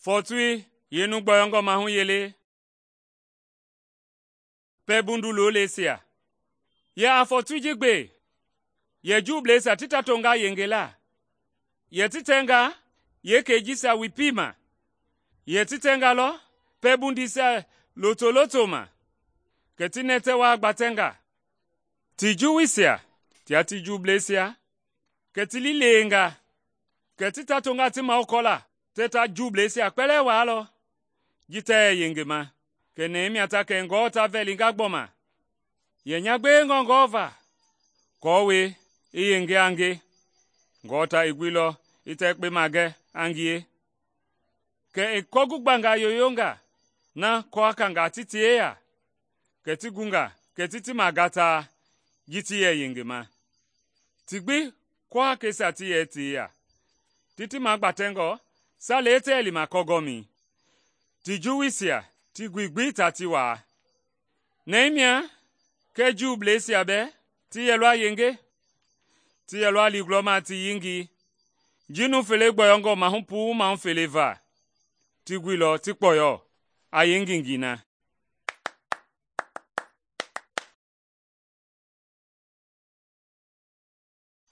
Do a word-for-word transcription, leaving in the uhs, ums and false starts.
Fɔɔtoi yeenu gbɔyɔngɔ mahu yele pɛlɛbundu looleisia. Yɛ a fɔɔtoi ji gbe, yɛ Juubleisia ti ta tonga yengela, yɛ ti tɛnga yeekei jisia wi piima, yɛ ti tɛnga lɔ pɛlɛbunduisia lotoloto ma, kɛ ti nɛtɛ waa gbatɛnga. Ti Juuisia tia ti Juubleisia, kɛ ti liileenga, kɛ ti ta tonga ti mahukɔla tɛɛ ta Juubleisia kpɛlɛɛ waalɔ, ji tɛɛ yɛ yengema. Kɛ nɛɛ mia ta kɛngɔ ta vɛlinga gbɔma, yɛ nya gbewengɔ Ngewɔ va, aako i yenge a nge. Ngewɔ ta i guilɔ i ta yekpe magɛ a ngie, kɛ i kɔgugbangaa yoyonga na kɔwakangaa ti ti yeya, kɛ ti gunga kɛ ti ti magataa ji ti yɛ yengema. Ti gbi kɔwakeisia ti yɛ ti yeya, ti ti magbatɛngɔ salei tɛɛ lima kɔgɔmɛi. Ti Juuisia ti gui gbi ta ti waa. Nɛɛ mia kɛɛ Juubleisia bɛɛ ti yɛlɔ a yenge, ti yɛlɔ a li gulɔma ti yengei, ji numu fele gbɔyɔngɔ mahu puu mahu fele va, ti guilɔ ti kpɔyɔ a yeengengei na.